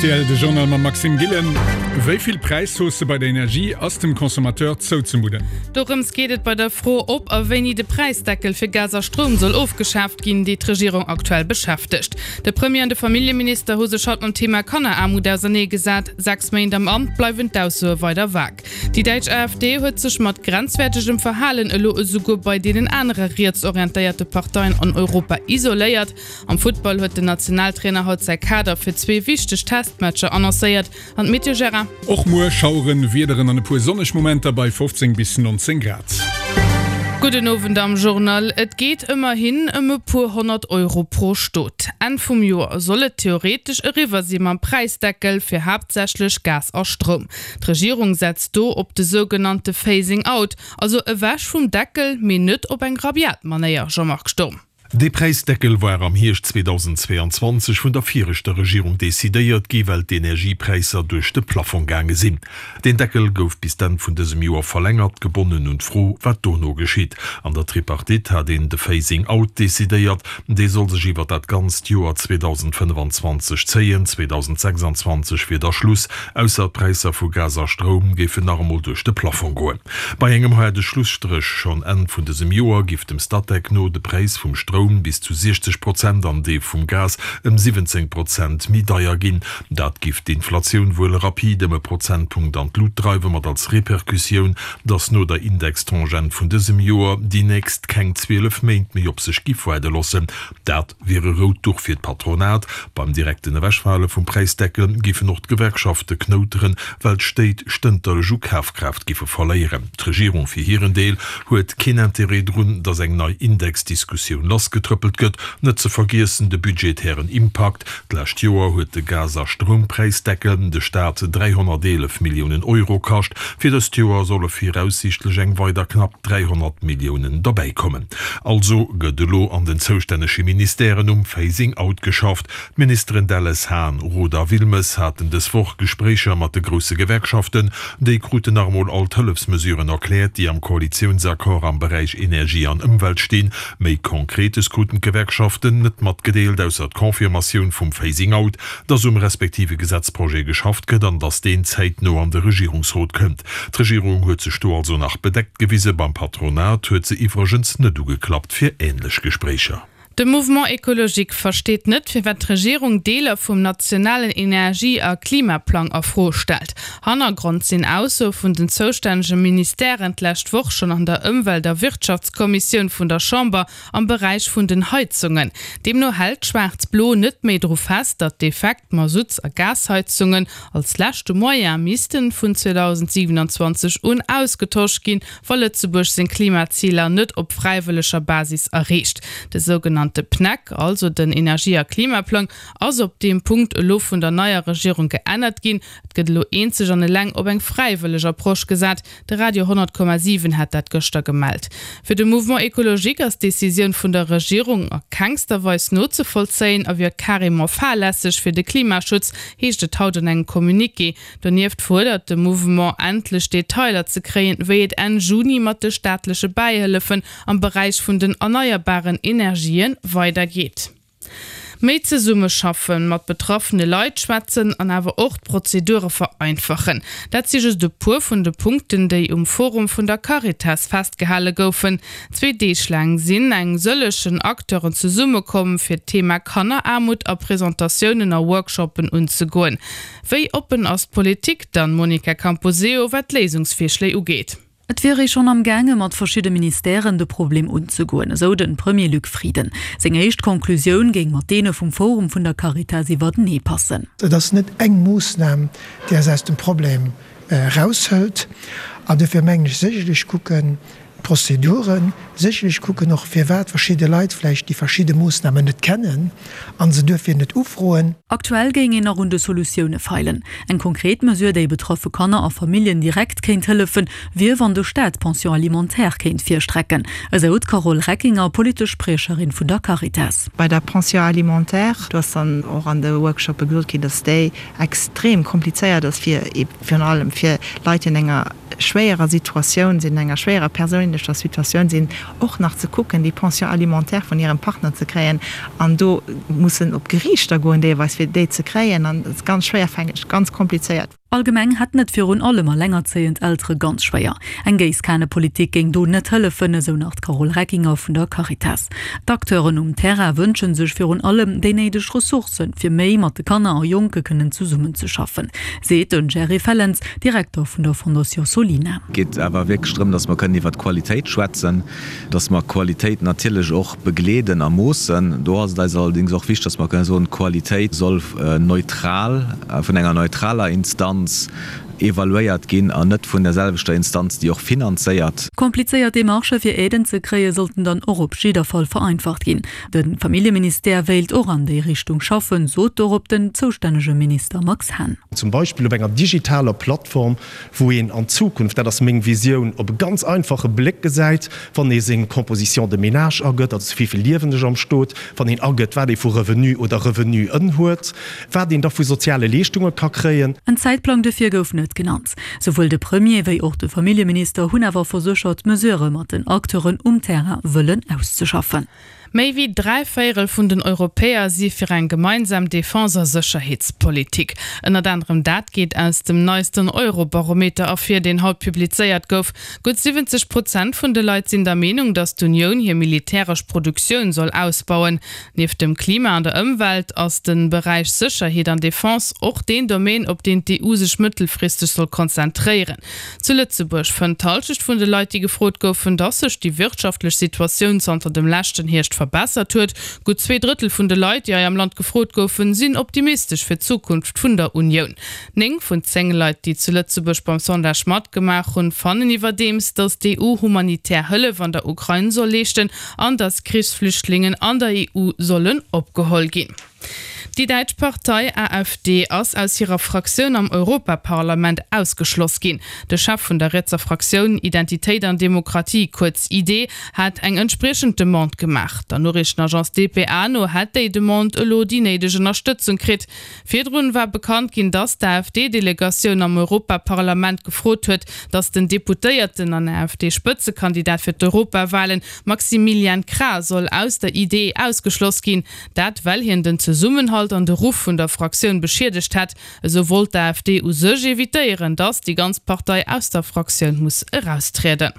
Rtl, De Journal mam Maxime Gillen. Wéi vill Präishausse bei der Energie ass dem Consommateur zouzemudden? Dorëms geet et bei der Fro, ob a wéini de Präisdeckel fir Gas a Stroum soll ofgeschaaft ginn, déi d'Regierung aktuell beschäftegt. De Premier an de Familljeminister hu sech haut mam Thema Kanneraarmut ausernee gesat. 6 Méint am Amt bleiwen d'Aussoe weider vag. Déi däitsch AfD huet sech mat grenzwäertegem Verhalen elo esouguer bei deenen anere rietsorientéierte Parteien an Europa isoléiert. Am Futtball huet den Nationaltrainer haut säi Kader fir zwee wichteg Testmatcher annoncéiert. An d'Meteo, Gérard? Och muer Schaueren, Wiederen an e puer sonneg Momenter bei 15 bis 19 Grad. Gudden Owend am Journal. Et geet ëmmerhin ëm e puer 100 Euro pro Stot. Enn vum Joer soll et theoretesch eriwwer si mam Präisdeckel fir haaptsächlech Gas a Stroum. D'Regierung setzt do op de sougenannte Phasing out, also ewech vum Deckel, mee net op eng rabiat Manéier, Jean-Marc Sturm. Dee Präisdeckel war am Hierscht 2022 vun der viregter Regierung decidéiert gi well d'Energiepräisser duerch de Plafong gaange sinn. Deen Deckel gouf bis d'Enn vun dësem Joer verlängert, gebonnen un d'Fro, wat dono geschitt. An der Tripartite hat een de Phasing out decidéiert. Dee soll sech iwwer dat ganzt Joer 2025 zéien. 2026 wier da Schluss, ausser d'Präisser vu Gas a Stroum géifen nach emol duerch de Plafong goen. Bei engem haarde Schlusstréch schonn Enn vun dësem Joer giff dem Statec no de Präis vum Stroum bis zu 60 Prozent an dee vum Gas ëm 17 Prozent méi deier ginn. Dat giff d'Inflatioun wuel rapid ëm e Prozentpunkt an d'Lut dreiwen, mat als Repercussioun, datt no der Indextangent vun dësem Joer déi nächst keng 12 Méint méi op sech giff waarde loossen. Dat wier e rout Duch fir d'Patronat. Beim direkten Ewechfale vum Präisdeckel géifen och d'Gewerkschafte knouteren, well d'Stéit stënterlech u Kafkraaft géife verléieren. D'Regierung fir hiren Deel huet keen Interêt drun, datt eng nei Indexdiskussioun lassgetrëppelt gëtt. Net ze vergiessen de budgetären Impakt. D'lescht Joer huet de Gas a Stroumpräisdeckel de Staat 311 Milliounen Euro kascht. Fir dëst Joer solle viraussiichtlech eng weider knapp 300 Milliounen derbäikommen. Also gëtt elo an den zoustännege Ministèren um Phasing out geschafft. D'Ministeren Delles, Hahn, Roth a Wilmes haten dës Woch Gespréicher mat de grousse Gewerkschaften. Déi kruten nach emol all d'Hëllefsmesuren erkläert, déi am Koalitiounsaccord am Beräich Energie an Ëmwelt stinn. Méi Konkretes kruten d'Gewerkschaften net matgedeelt, ausser d'Confirmatioun vum Phasing out, dass um respektive Gesetzprojet geschafft gëtt an dass deen zäitno an de Regierungsrot kënnt. D'Regierung huet sech do also nach bedeckt gewisen. Beim Patronat huet se iwwregens net ugeklappt fir änlech Gespréicher. De Mouvement Ecologique versteet net, firwat d'Regierung Deeler vum nationalen Energie a Klimaplang a Fro stellt. Hannergrond sinn Aussoe vun den zoustännege Ministèren d'lescht Woch schonn an der Ëmwelt a Wirtschaftskommissioun vun der Chamber am Beräich vun den Heizungen. Deemno hält Schwaarz-Blo net méi dru fest, datt defekt Masutts a Gasheizungen als leschte Moyen missten vun 2027 un ausgetosch ginn, wa Lëtzebuerg seng Klimaziler net op fräiwëlleger Basis erreecht. De sougenannte PNEC, also den Energie a Klimaplang, ass op deem Punkt elo vun der neier Regierung geännert ginn. Et gëtt elo eenzeg an eleng op eng fräiwëlleg Approche gesat. De Radio 100,7 hat dat gëschter gemellt. Fir de Mouvement Ecologique ass d'Decisioun vun der Regierung a kengster Weis nozevollzéien a wier carrément fahrlässeg fir de Klimaschutz, heescht et haut an engem Communiqué. Donieft fuerdert de Mouvement, endlech Detailer ze kréien, wéi et Enn Juni mat de staatleche Bäihëllefen am Beräich vun den erneierbaren Energien weidergeet. Méi zesummeschaffen, mat betraffene Leit schwätzen an awer och d'Prozedure vereinfachen, dat si just e puer vun de Punkten, déi um Forum vun der Caritas festgehale goufen. Zwee Deeg laang sinn eng sëllechen Acteuren zesummekomm, fir d'Thema Kanneraarmut a Presentatiounen a Workshoppen unzegoen. Wéi oppen ass d'Politik dann, Monica Camposeo, wat Léisungsvirschléi ugeet? Et wier ee schonn am gaange mat verschidde Ministèren de Problem unzegoen, esou de Premier Luc Frieden. Seng éischt Conclusioun géing mat deene vum Forum vun der Caritas iwwertenee passen. Et ass net eng Moossnam, déi eis aus dem Problem eraushëlt. An dofir mengen ech, sécherlech kucken d'Prozeduren, sécherlech kucken och, firwat verschidde Leit vläicht déi verschidde Moossnamen net kennen a se duerfir net ufroen. Aktuell géing een nach un de Solutioune feilen. Eng konkret Mesure, déi betraffe Kanner a Familljen direkt kéint hëllefen, wier, wann de Staat d'Pension alimentaire kéint virstrecken, esou d'Carole Reckinger, politesch Spriecherin vun der Caritas. Bei der Pension alimentaire, do ass dann och an de Workshoppe gesot ginn, datt déi extrem komplizéiert ass, fir virun allem fir Leit, déi an enger. schwéierer Situatioun sinn, an enger schwéierer perséinlecher Situatioun sinn, och nach ze kucken, déi Pension alimentaire vun hirem Partner ze kréien an do mussen op d'Geriichter goen deelweis, fir déi ze kréien. An dat ass ganz schwéierfängeg, ganz komplizéiert. Allgemeng hätten et virun allem allengerzéiend Eltere ganz schwéier. Eng Géisskanepolitik géing do net hëllefen, esou nach d'Carole Reckinger vun der Caritas. D'Acteuren um Terrain wënsche sech virun allem déi néideg Ressourcen, fir méi mat de Kanner a Jonke kënnen zesummenzeschaffen, seet de Jerry Fellens, Direkter vun der Fondation Solina. Et geet awer wierklech drëm, datt mer kënnen iwwert d'Qualitéit schwätzen, datt mer Qualitéit natierlech och begleeden a moossen. Do ass et eis allerdéngs och wichteg, datt mer kënnen soen, d'Qualitéit soll neutral, vun enger neutraler Instanz evaluéiert ginn an net vun der selwechter Instanz, déi och finanzéiert. Komplizéiert Demarchë fir Aiden ze kréie sollten dann och op jidder Fall vereinfacht ginn. De Familljeministère wéilt och an déi Richtung schaffen, sot dorop den zoustännege Minister Max Hahn. Zum Beispill op enger digitaler Plattform, wou een an Zukunft, dat ass meng Visioun, op e ganz einfache Bléck gesäit, wann ee seng Composition de ménage agëtt, also wéi vill liewen ech am Stot, wann een agëtt, wat ee vu Revenu oder Revenuen huet, wat een da vu soziale Leeschtunge ka kréien. En Zäitplang dofir gouf net genannt. Souwuel de Premier wéi och de Familljeminister hunn awer verséchert, Mesurë mat den Acteuren um Terrain wëllen auszeschaffen. Méi wéi 3 Véierel vun den Europäer si fir eng gemeinsam Defense a Sécherheetspolitik. Ënnert anerem dat geet aus dem neisten Eurobarometer ervir, deen haut publizéiert gouf. Gutt 70 Prozent vun de Leit sinn der Meenung, datt d'Unioun hir militäresch Produktioun soll ausbauen. Nieft dem Klima an der Ëmwelt ass de Beräich Sécherheet an Defense och deen Domaine, op deen d'EU sech mëttelfristeg soll konzentréieren. Zu Lëtzebuerg fënnt d'Hallschecht vun de Leit, déi gefrot goufen, dass sech déi wirtschaftlech Situatioun zanter dem leschten Hierscht verbessert huet. Gutt 2 Drëttel vun de Leit, déi hei am Land gefrot goufen, sinn optimistesch fir d'Zukunft vun der Unioun. 9 vun 10 Leit, déi zu Lëtzebuerg beim Sondage matgemaach hunn, fannen iwwerdeems, dass d'EU humanitär Hëllef an der Ukrain soll leeschten an dass Krichsflüchtlingen an der EU sollen opgeholl ginn. Déi däitsch Partei AfD ass aus hirer Fraktioun am Europaparlament ausgeschloss ginn. De Chef vun der rietser Fraktioun Identitéit an Demokratie, kuerz ID, hat eng entspriechend Demande gemaach. Der Noriichtenagence dpa no hätt déi Demande elo déi néideg Ënnerstëtzung kritt. Virdrun war bekannt ginn, datt d'AfD-Delegatioun am Europaparlament gefrot huet, datt den Deputéierten an AfD-Spëtzekandidat fir d'Europawalen, Maximilian Krah, soll aus der ID ausgeschloss ginn. Dat well hien den Zesummenhalt an de Ruff vun der Fraktioun beschiedegt hätt. Esou wollt d'AfD u sech evitéieren, datt déi ganz Partei aus der Fraktioun muss eraustrieden.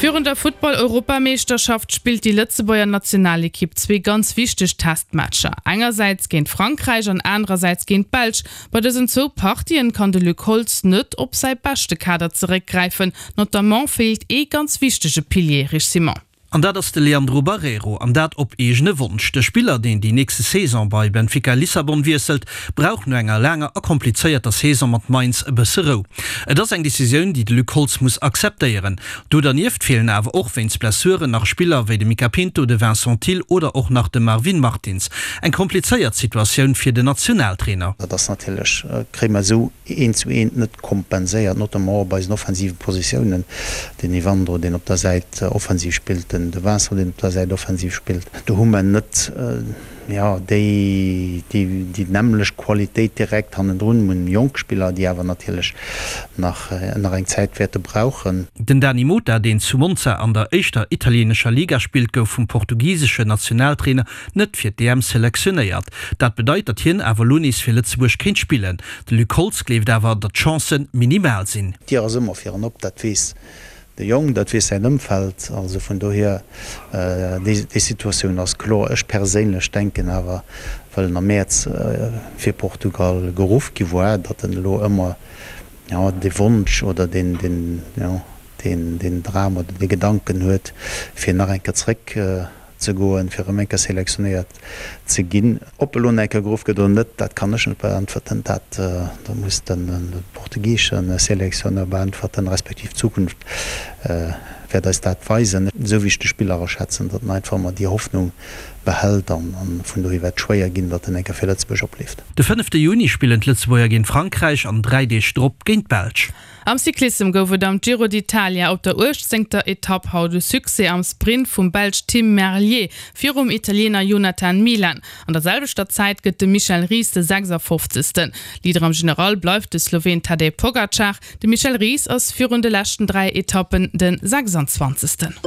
Virun der Futtball-Europameeschterschaft spillt déi Lëtzebuerger Nationalekipp zwee ganz wichteg Testmatcher. Engersäits géint Frankräich an anerersäits géint d'Belsch. Bei dësen zwou Partien kann de Luc Holtz net op säi beschte Kader zeréckgräifen. Notamment feelt ee ganz wichtege Pilier, Rich Simon. An dat ass de Leandro Barreiro, an dat op eegene Wonsch. De Spiller, deen déi nächste Saison bei Benfica Lissabon wiesselt, brauch no enger laanger a komplizéierter Saison mat Mainz e bësse Rou. Et ass eng Decisioun, déi de Luc Holtz muss akzeptéieren. Do dernieft feelen awer och wéinst Blessuren nach Spiller wéi de Mica Pinto, de Vincent Thill oder och nach de Marvin Martins. Eng komplizéiert Situatioun fir den Nationaltrainer. Dat ass natierlech, kréie mer esou eent zu eent net kompenséiert, notamment och op eisen offensive Positiounen, den Evandro, deen op der Säit offensiv spillt, den de Vincent, deen op der Säit offensiv spillt. Do hu mer net, jo, déi, déi, déi nämmlecht Qualitéit direkt hannendrun. Mir hunn jonk Spiller, déi awer natierlech nach, nach eng Zäit wäerte brauchen. Den Dany Mota, deen zu Monza an der éischter italieenescher Liga spillt, gouf vum portugiseschen Nationaltrainer net fir d'EM selektionéiert. Dat bedeit, datt hien awer elo nees fir Lëtzebuerg kéint spillen. De Luc Holtz gleeft awer, datt d'Chancë minimal sinn. D'Dier ass ëmmer fir en op, dat weess de Jong, dat weess säin Ëmfeld. Also vun dohier, déi Situatioun ass kloer. Ech perséinlech denken awer, well en am Mäerz fir Portugal geruff gi war, datt en elo ëmmer, jo, dee Wonsch oder deen, jo, deen Dram oder dee Gedanken huet, fir nach eng Kéier zréck ze goen, fir erëm eng Kéier selektionéiert ze ginn. Ob elo nach eng Kéier geruff gëtt oder net, dat kann ech net beäntwerten. Dat muss de portugisesche Selektionneur beäntwerten, respektiv d'Zukunft. Wäert eis dat weisen, esou wéi ech de Spiller aschätzen, datt en einfach ëmmer déi Hoffnung behält an vun dohier wäert et schwéier ginn, datt en eng Kéier fir Lëtzebuerg opleeft. De fënnefte Juni spillen d'Lëtzebuerger géint Frankräich an 3 Deeg drop géint d'Belsch. Am Cyclissem gouf et am Giro d'Italia op der uechtzéngter Etapp haut e Succès am Sprint vum Belsch Tim Merlier virum Italiener Jonathan Milan. An der selwechter Zäit gëtt de Michel Ries de 56. Leader am General bleift de Sloween Tadej Pogacar. De Michel Ries ass virun de leschten 3 Etappen de 26.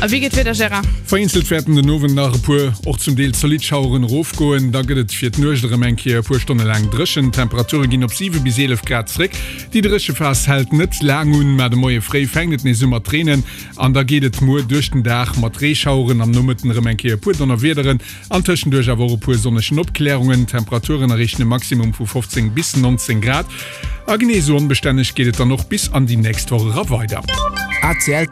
A wéi geet d'Wieder, Gérard? Vereenzelt wäerten den Owend nach e puer, och zum Deel zolidd Schaueren erofgoen. Da gëtt et fir d'Nuecht erëm eng Kéier e puer Stonne laang dréchen. D'Temperature ginn op 7 bis 11 Grad zréck. Déi dréche Phas hält net laang un, mä de Moie fréi fänkt et nees u mat reenen an da geet et muer duerch den Dag mat Reeschaueren, am Nomëtten erëm eng Kéier e puer Donnerwiederen An tëschenduerch awer och e puer sonnegen Opklärungen. D'Temperaturen erreechen e Maximum vu 15 bis 19 Grad. A genee esou onbestänneg geet et dann och bis an déi nächst Woch era weider. ACL.